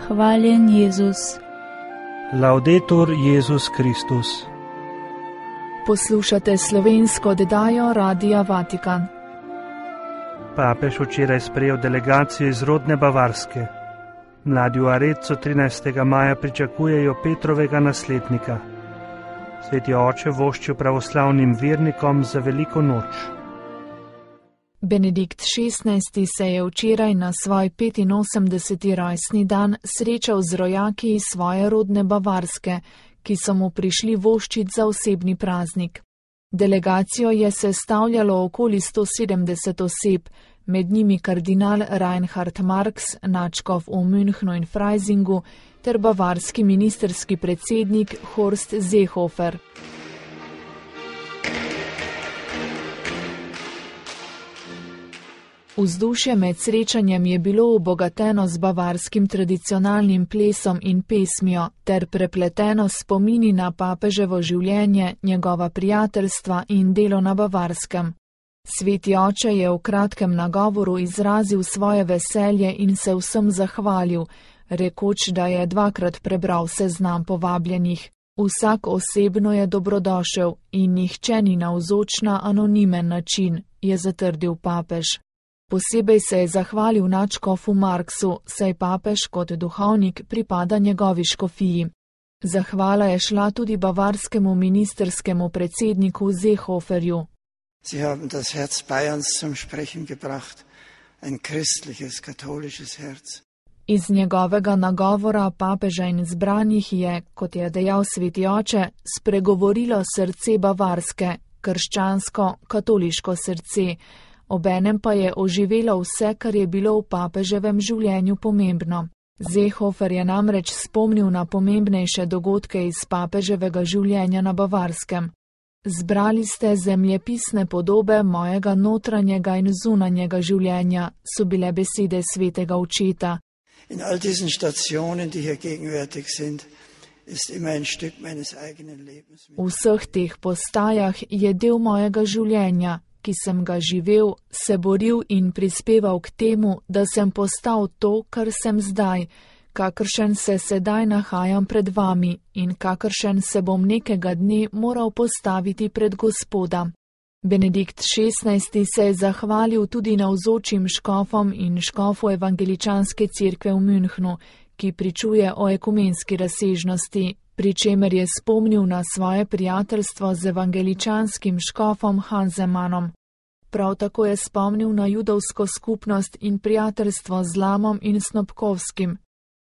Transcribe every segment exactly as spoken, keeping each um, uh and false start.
Hvaljen Jezus. Laudetur Jezus Kristus. Poslušate slovensko oddajo Radia Vatikan. Papež včeraj sprejel delegacijo iz rodne Bavarske. Mladi v Arezzu trinajstega maja pričakujejo Petrovega naslednika. Sveti oče voščil pravoslavnim vernikom za veliko noč. Benedikt šestnajsti se je včeraj na svoj petinosemdeseti rojstni dan srečal z rojaki iz svoje rodne Bavarske, ki so mu prišli voščit za osebni praznik. Delegacijo je sestavljalo okoli sto sedemdeset oseb, med njimi kardinal Reinhard Marx, nadškof v Münchnu in Freisingu, ter bavarski ministerski predsednik Horst Seehofer. Vzdušje med srečanjem je bilo obogateno z bavarskim tradicionalnim plesom in pesmijo ter prepleteno s spomini na papeževo življenje, njegova prijateljstva in delo na Bavarskem. Sveti oče je v kratkem nagovoru izrazil svoje veselje in se vsem zahvalil, rekoč, da je dvakrat prebral seznam povabljenih. Vsak osebno je dobrodošel in nihče ni navzoč na anonimen način, je zatrdil papež. Posebej se je zahvalil nadškofu Marksu, saj papež kot duhovnik pripada njegovi škofiji. Zahvala je šla tudi bavarskemu ministerskemu predsedniku Seehoferju. Sie haben das Herz Bayerns zum Sprechen gebracht, ein christliches, katholisches Herz. Iz njegovega nagovora papeža in zbranih je, kot je dejal sveti oče, spregovorilo srce bavarske, krščansko, katoliško srce, obenem pa je oživelo vse, kar je bilo v papeževem življenju pomembno. Seehofer je namreč spomnil na pomembnejše dogodke iz papeževega življenja na Bavarskem. Zbrali ste zemljepisne podobe mojega notranjega in zunanjega življenja, so bile besede svetega očeta. In all diesen Stationen, die hier gegenwärtig sind, ist immer ein Stück meines eigenen Lebens. V vseh teh postajah je del mojega življenja, ki sem ga živel, se boril in prispeval k temu, da sem postal to, kar sem zdaj, kakršen se sedaj nahajam pred vami in kakršen se bom nekega dne moral postaviti pred Gospoda. Benedikt šestnajsti se je zahvalil tudi navzočim škofom in škofu evangeličanske cerkve v Münchnu, ki pričuje o ekumenski razsežnosti, pri čemer je spomnil na svoje prijateljstvo z evangeličanskim škofom Hanzemanom. Prav tako je spomnil na judovsko skupnost in prijateljstvo z Lamom in Snopkovskim.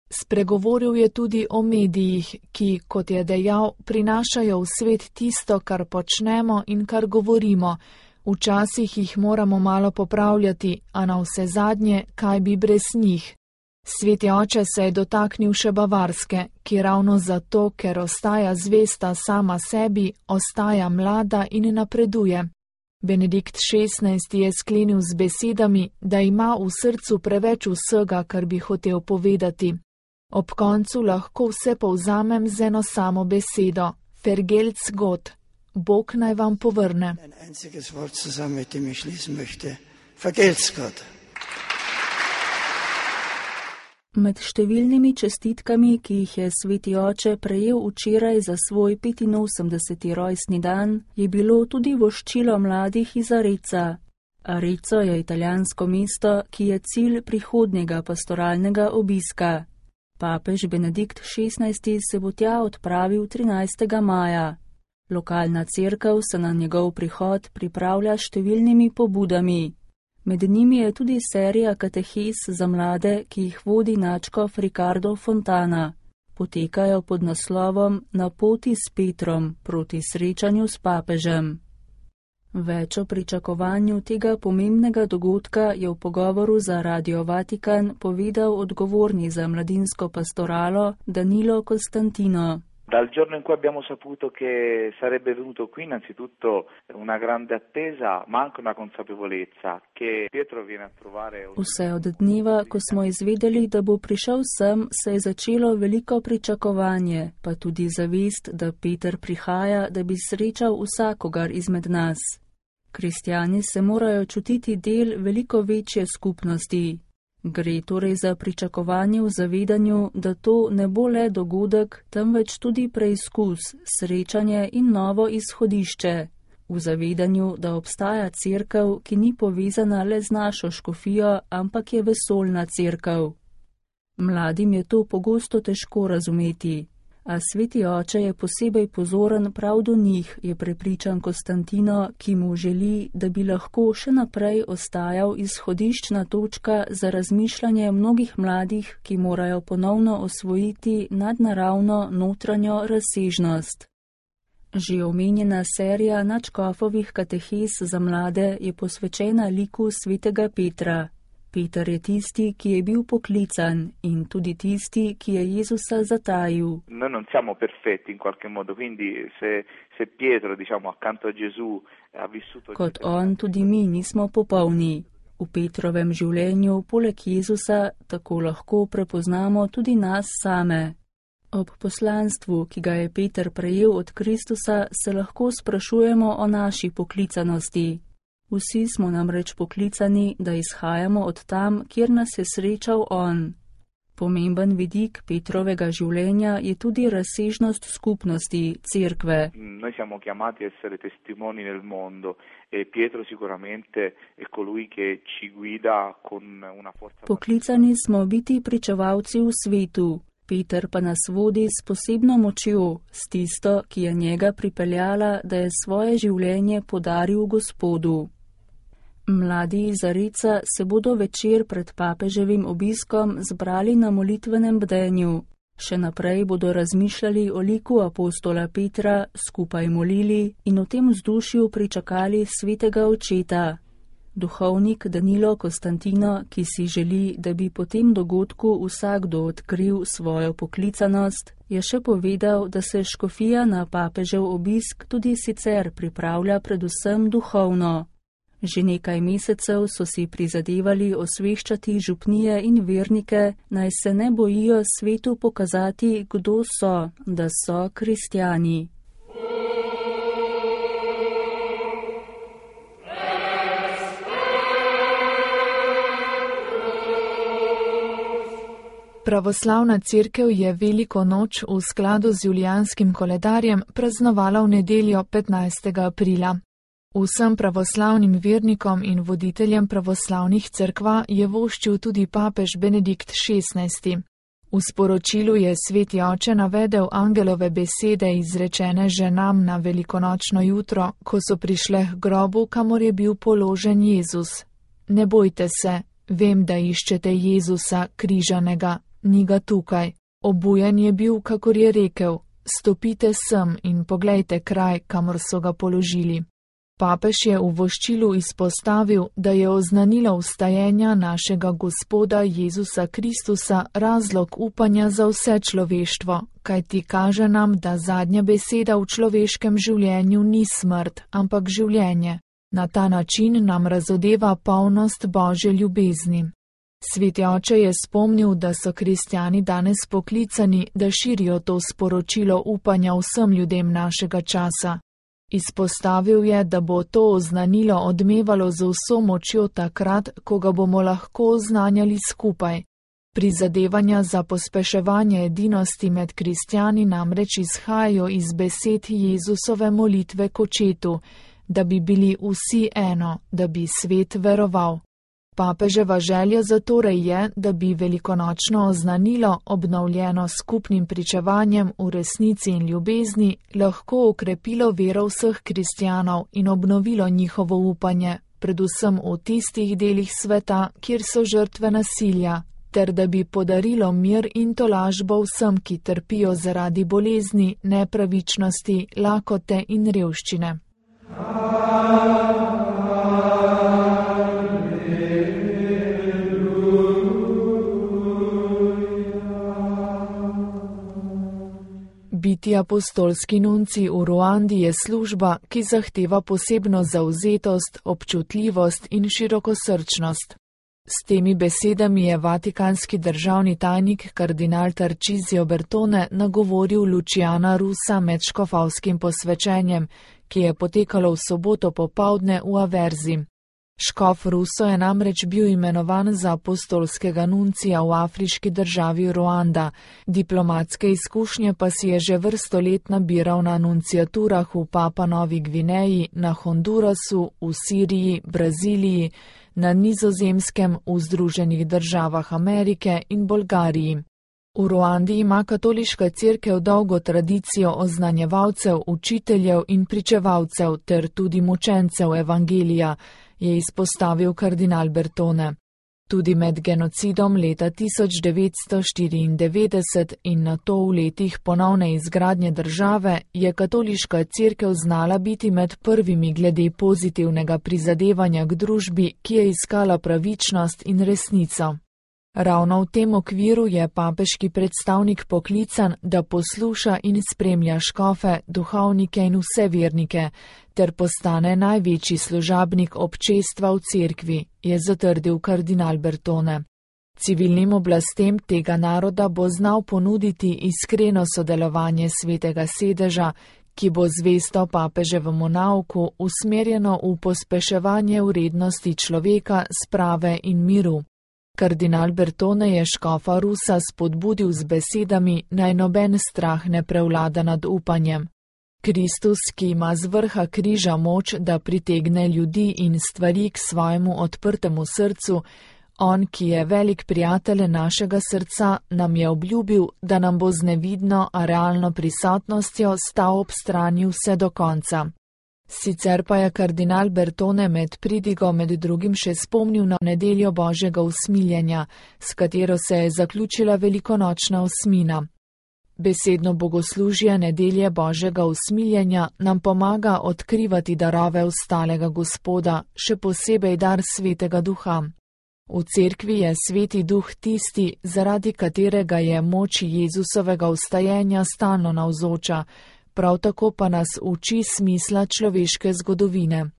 Spregovoril je tudi o medijih, ki, kot je dejal, prinašajo v svet tisto, kar počnemo in kar govorimo. Včasih jih moramo malo popravljati, a na vse zadnje, kaj bi brez njih. Sveti oče se je dotaknil še Bavarske, ki ravno zato, ker ostaja zvesta sama sebi, ostaja mlada in napreduje. Benedikt šestnajsti je sklenil z besedami, da ima v srcu preveč vsega, kar bi hotel povedati. Ob koncu lahko vse povzamem z eno samo besedo, Vergelt's Gott, Bog naj vam povrne. Ein einziges Wort zusammen, mit dem ich schließen möchte. Vergelt's Gott. Med številnimi čestitkami, ki jih je sveti oče prejel včeraj za svoj petinosemdeseti rojstni dan, je bilo tudi voščilo mladih iz Arezza. Arezzo je italijansko mesto, ki je cilj prihodnjega pastoralnega obiska. Papež Benedikt šestnajsti se bo tja odpravil trinajstega maja. Lokalna cerkev se na njegov prihod pripravlja s številnimi pobudami. Med njimi je tudi serija katehes za mlade, ki jih vodi nadškof Ricardo Fontana. Potekajo pod naslovom Na poti s Petrom proti srečanju s papežem. Več o pričakovanju tega pomembnega dogodka je v pogovoru za Radio Vatikan povedal odgovorni za mladinsko pastoralo Danilo Costantino. Dal giorno in cui abbiamo saputo che sarebbe venuto qui, innanzitutto una grande attesa, ma anche una consapevolezza che Pietro viene a trovare. Vse od dneva, ko smo izvedeli, da bo prišel sem, se je začelo veliko pričakovanje, pa tudi zavest, da Peter prihaja, da bi srečal vsakogar izmed nas. Kristjani se morajo čutiti del veliko večje skupnosti. Gre torej za pričakovanje v zavedanju, da to ne bo le dogodek, temveč tudi preizkus, srečanje in novo izhodišče. V zavedanju, da obstaja cerkev, ki ni povezana le z našo škofijo, ampak je vesoljna cerkev. Mladim je to pogosto težko razumeti, a sveti oče je posebej pozoren prav do njih, je prepričan Konstantino, ki mu želi, da bi lahko še naprej ostajal izhodiščna točka za razmišljanje mnogih mladih, ki morajo ponovno osvojiti nadnaravno notranjo razsežnost. Že omenjena serija nadškofovih katehez za mlade je posvečena liku svetega Petra. Peter je tisti, ki je bil poklican, in tudi tisti, ki je Jezusa zatajil. Noi non siamo perfetti in qualche modo, quindi se, se Pietro, diciamo, accanto a Gesù ha vissuto... Kot on, tudi mi nismo popolni. V Petrovem življenju, poleg Jezusa, tako lahko prepoznamo tudi nas same. Ob poslanstvu, ki ga je Peter prejel od Kristusa, se lahko sprašujemo o naši poklicanosti. Vsi smo namreč poklicani, da izhajamo od tam, kjer nas je srečal on. Pomemben vidik Petrovega življenja je tudi razsežnost skupnosti, cerkve. Noi siamo chiamati a essere testimoni nel mondo e Pietro sicuramente è colui che ci guida con una forza. Poklicani smo biti pričevalci v svetu. Peter pa nas vodi s posebno močjo, s tisto, ki je njega pripeljala, da je svoje življenje podaril Gospodu. Mladi iz Areca se bodo večer pred papeževim obiskom zbrali na molitvenem bdenju. Še naprej bodo razmišljali o liku apostola Petra, skupaj molili in v tem vzdušju pričakali svetega očeta. Duhovnik Danilo Konstantino, ki si želi, da bi po tem dogodku vsakdo odkril svojo poklicanost, je še povedal, da se škofija na papežev obisk tudi sicer pripravlja predvsem duhovno. Že nekaj mesecev so si prizadevali osveščati župnije in vernike, naj se ne bojijo svetu pokazati, kdo so, da so kristjani. Pravoslavna cerkev je veliko noč v skladu z julijanskim koledarjem praznovala v nedeljo petnajstega aprila. Vsem pravoslavnim vernikom in voditeljem pravoslavnih cerkva je voščil tudi papež Benedikt šestnajsti. V sporočilu je sveti oče navedel angelove besede izrečene ženam na velikonočno jutro, ko so prišle k grobu, kamor je bil položen Jezus. Ne bojte se, vem, da iščete Jezusa križanega, ni ga tukaj. Obujen je bil, kakor je rekel, stopite sem in poglejte kraj, kamor so ga položili. Papež je v voščilu izpostavil, da je oznanilo vstajenja našega Gospoda Jezusa Kristusa razlog upanja za vse človeštvo, kajti kaže nam, da zadnja beseda v človeškem življenju ni smrt, ampak življenje. Na ta način nam razodeva polnost Božje ljubezni. Sveti oče je spomnil, da so kristjani danes poklicani, da širijo to sporočilo upanja vsem ljudem našega časa. Izpostavil je, da bo to oznanilo odmevalo z vso močjo takrat, ko ga bomo lahko oznanjali skupaj. Prizadevanja za pospeševanje edinosti med kristjani namreč izhajajo iz besed Jezusove molitve k Očetu, da bi bili vsi eno, da bi svet veroval. Papeževa želja zatorej je, da bi velikonočno oznanilo, obnovljeno skupnim pričevanjem v resnici in ljubezni, lahko okrepilo vero vseh kristjanov in obnovilo njihovo upanje, predvsem v tistih delih sveta, kjer so žrtve nasilja, ter da bi podarilo mir in tolažbo vsem, ki trpijo zaradi bolezni, nepravičnosti, lakote in revščine. Biti apostolski nunci v Ruandi je služba, ki zahteva posebno zavzetost, občutljivost in širokosrčnost. S temi besedami je vatikanski državni tajnik kardinal Tarcisio Bertone nagovoril Luciana Rusa med škofovskim posvečenjem, ki je potekalo v soboto popoldne v Averzi. Škof Russo je namreč bil imenovan za apostolskega nuncija v afriški državi Ruanda, diplomatske izkušnje pa si je že vrsto let nabiral na nunciaturah v Papua Novi Gvineji, na Hondurasu, v Siriji, Braziliji, na Nizozemskem, v Združenih državah Amerike in Bolgariji. V Ruandi ima katoliška cerkev dolgo tradicijo oznanjevalcev, učiteljev in pričevalcev ter tudi mučencev evangelija, je izpostavil kardinal Bertone. Tudi med genocidom leta tisoč devetsto štiriindevetdeset in nato v letih ponovne izgradnje države je katoliška cerkev znala biti med prvimi glede pozitivnega prizadevanja k družbi, ki je iskala pravičnost in resnico. Ravno v tem okviru je papeški predstavnik poklican, da posluša in spremlja škofe, duhovnike in vse vernike, ter postane največji služabnik občestva v cerkvi, je zatrdil kardinal Bertone. Civilnim oblastem tega naroda bo znal ponuditi iskreno sodelovanje svetega sedeža, ki bo zvesto papeževemu nauku usmerjeno v pospeševanje vrednosti človeka, sprave in miru. Kardinal Bertone je škofa Russa spodbudil z besedami, naj noben strah ne prevlada nad upanjem. Kristus, ki ima z vrha križa moč, da pritegne ljudi in stvari k svojemu odprtemu srcu, on, ki je velik prijatelj našega srca, nam je obljubil, da nam bo z nevidno, a realno prisotnostjo stal ob strani vse do konca. Sicer pa je kardinal Bertone med pridigo med drugim še spomnil na nedeljo Božjega usmiljenja, s katero se je zaključila velikonočna osmina. Besedno bogoslužje nedelje Božjega usmiljenja nam pomaga odkrivati darove ostalega Gospoda, še posebej dar Svetega Duha. V cerkvi je Sveti Duh tisti, zaradi katerega je moč Jezusovega vstajenja stalno navzoča, prav tako pa nas uči smisla človeške zgodovine.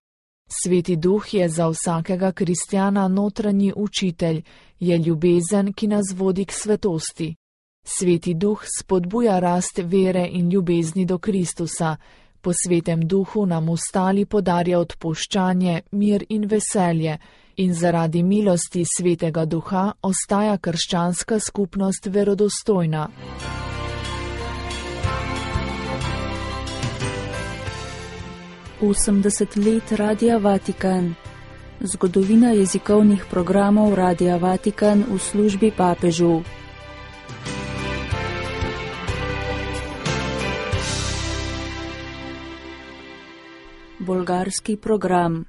Sveti Duh je za vsakega kristjana notranji učitelj, je ljubezen, ki nas vodi k svetosti. Sveti Duh spodbuja rast vere in ljubezni do Kristusa, po Svetem Duhu nam ostali podarja odpuščanje, mir in veselje in zaradi milosti Svetega Duha ostaja krščanska skupnost verodostojna. osemdeset let Radia Vatikan. Zgodovina jezikovnih programov Radia Vatikan v službi papežu. Bolgarski program.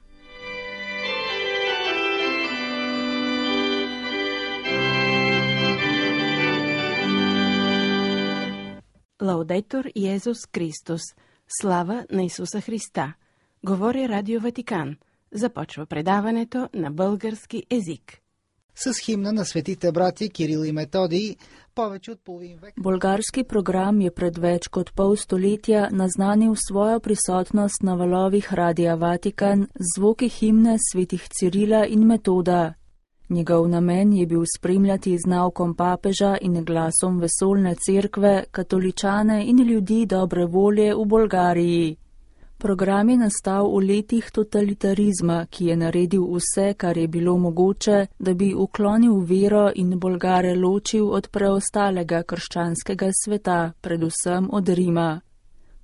Лаудетор Йезус Христос. Слава на Исуса Христа. Говори Радио Ватикан. Започва предаването на български език. С химна на светите брати Кирил и Методий, повече от половин век. Bolgarski program je pred več kot pol stoletja naznanil svojo prisotnost na valovih Radia Vatikan z zvoki himne svetih Cirila in Metoda. Njegov namen je bil spremljati z naukom papeža in glasom vesoljne cerkve, katoličane in ljudi dobre volje v Bolgariji. Program je nastal v letih totalitarizma, ki je naredil vse, kar je bilo mogoče, da bi uklonil vero in Bolgare ločil od preostalega krščanskega sveta, predvsem od Rima.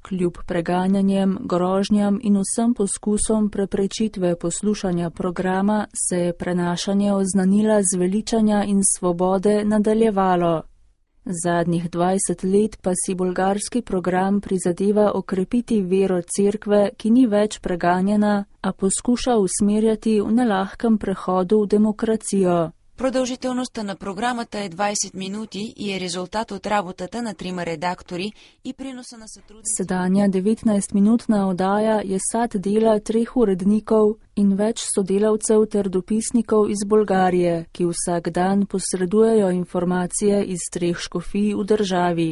Kljub preganjanjem, grožnjam in vsem poskusom preprečitve poslušanja programa se je prenašanje oznanila zveličanja in svobode nadaljevalo. Zadnjih dvajset let pa si bolgarski program prizadeva okrepiti vero cerkve, ki ni več preganjena, a poskuša usmerjati v nelahkem prehodu v demokracijo. Продължителността на програмата е двайсет минути и е резултат от работата на трима редактори и приноса на сътрудници. Sedanja devetnajstminutna oddaja je sad dela treh urednikov in več sodelavcev ter dopisnikov iz Bolgarije, ki vsak dan posredujejo informacije iz treh škofij v državi.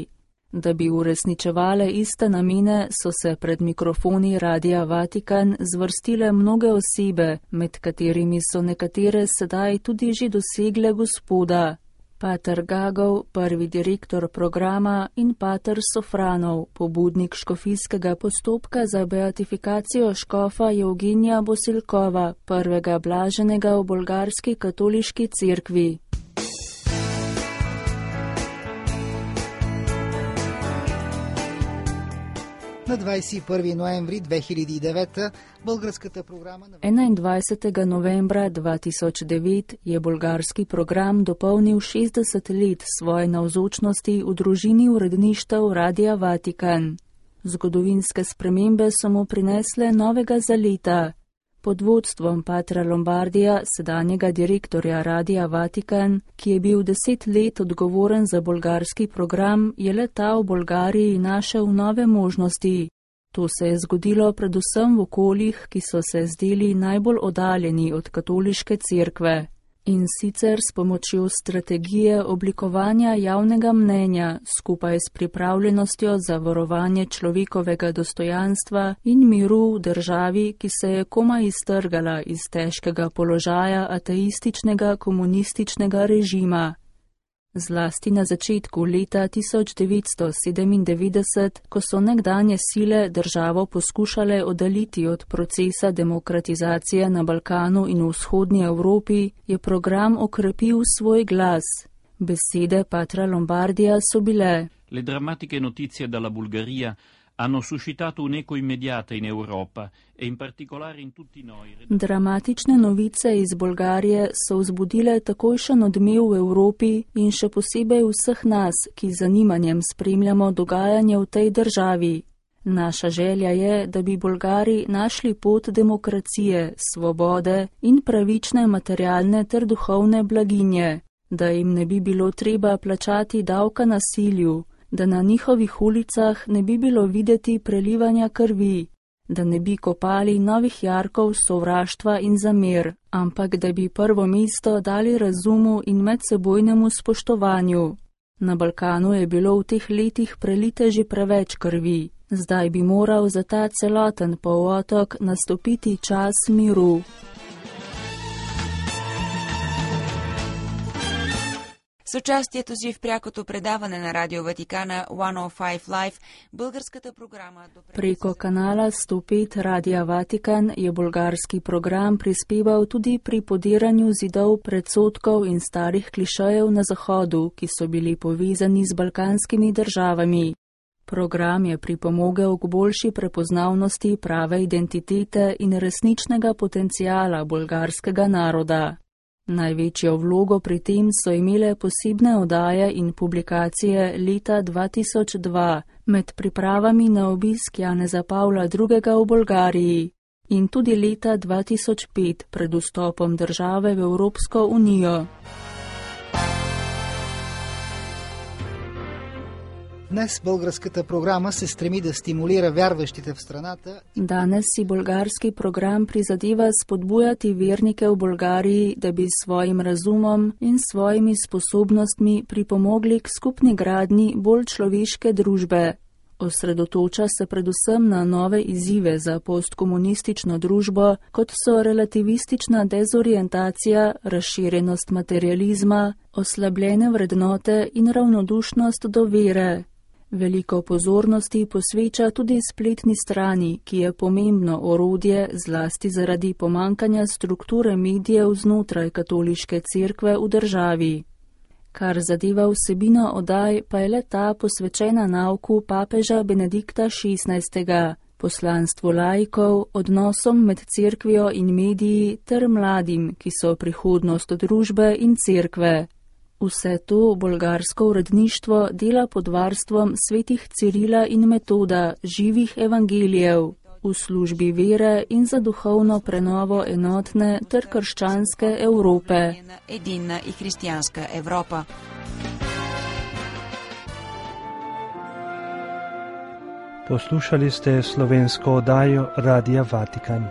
Da bi uresničevale iste namene, so se pred mikrofoni Radia Vatikan zvrstile mnoge osebe, med katerimi so nekatere sedaj tudi že dosegle Gospoda. pater Gagov, prvi direktor programa, in pater Sofranov, pobudnik škofijskega postopka za beatifikacijo škofa Evgenija Bosilkova, prvega blaženega v bolgarski katoliški cerkvi. На двадесет и първи ноември две хиляди и девета българската програма на enaindvajsetega novembra dva tisoč devet je bolgarski program dopolnil šestdeset let svoje navzočnosti v družini uredništev Radia Vatikan. Zgodovinske spremembe so mu prinesle novega zaleta. Pod vodstvom patra Lombardija, sedanjega direktorja Radia Vatikan, ki je bil deset let odgovoren za bolgarski program, je leta v Bolgariji našel nove možnosti. To se je zgodilo predvsem v okoljih, ki so se zdeli najbolj oddaljeni od katoliške cerkve. In sicer s pomočjo strategije oblikovanja javnega mnenja skupaj s pripravljenostjo za varovanje človekovega dostojanstva in miru v državi, ki se je komaj iztrgala iz težkega položaja ateističnega komunističnega režima. Zlasti na začetku leta tisoč devetsto sedemindevetdeset, ko so nekdanje sile državo poskušale oddaljiti od procesa demokratizacije na Balkanu in v vzhodnji Evropi, je program okrepil svoj glas. Besede patra Lombardija so bile: Le drammatiche notizie dalla Bulgaria hanno suscitato un'eco immediata in Europa e in particolare in tutti noi. Dramatične novice iz Bolgarije so vzbudile takojšen odmev v Evropi in še posebej vseh nas, ki z zanimanjem spremljamo dogajanje v tej državi. Naša želja je, da bi Bolgari našli pot demokracije, svobode in pravične materialne ter duhovne blaginje, da jim ne bi bilo treba plačati davka nasilju, da na njihovih ulicah ne bi bilo videti prelivanja krvi, da ne bi kopali novih jarkov sovraštva in zamer, ampak da bi prvo mesto dali razumu in medsebojnemu spoštovanju. Na Balkanu je bilo v teh letih prelite že preveč krvi, zdaj bi moral za ta celoten polotok nastopiti čas miru. С участието си в прякото предаване на Радио Ватикана сто пет Live, българската програма... Preko kanala sto pet Radia Vatikan je bolgarski program prispeval tudi pri podiranju zidov predsodkov in starih klišejev na Zahodu, ki so bili povezani z balkanskimi državami. Program je pripomogel k boljši prepoznavnosti prave identitete in resničnega potencijala bolgarskega naroda. Največjo vlogo pri tem so imele posebne oddaje in publikacije leta dva tisoč dva med pripravami na obisk Janeza Pavla drugega v Bolgariji in tudi leta dva tisoč pet pred vstopom države v Evropsko unijo. Днес българската програма се стреми да стимулира вярващите в страната. Danes si bolgarski program prizadeva spodbujati vernike v Bolgariji, da bi s svojim razumom in svojimi sposobnostmi pripomogli k skupni gradnji bolj človeške družbe. Osredotoča se predvsem na nove izzive za postkomunistično družbo, kot so relativistična dezorientacija, razširjenost materializma, oslabljene vrednote in ravnodušnost do vere. Veliko pozornosti posveča tudi spletni strani, ki je pomembno orodje zlasti zaradi pomankanja strukture medijev znotraj katoliške cerkve v državi. Kar zadeva vsebino oddaj, pa je le ta posvečena nauku papeža Benedikta šestnajstega, poslanstvu laikov, odnosom med cerkvijo in mediji ter mladim, ki so prihodnost družbe in cerkve. Vse to bolgarsko uredništvo dela pod varstvom svetih Cirila in Metoda, živih evangelijev, v službi vere in za duhovno prenovo enotne ter krščanske Evrope. Единна и християнска Европа. Poslušali ste slovensko oddajo Radia Vatikan.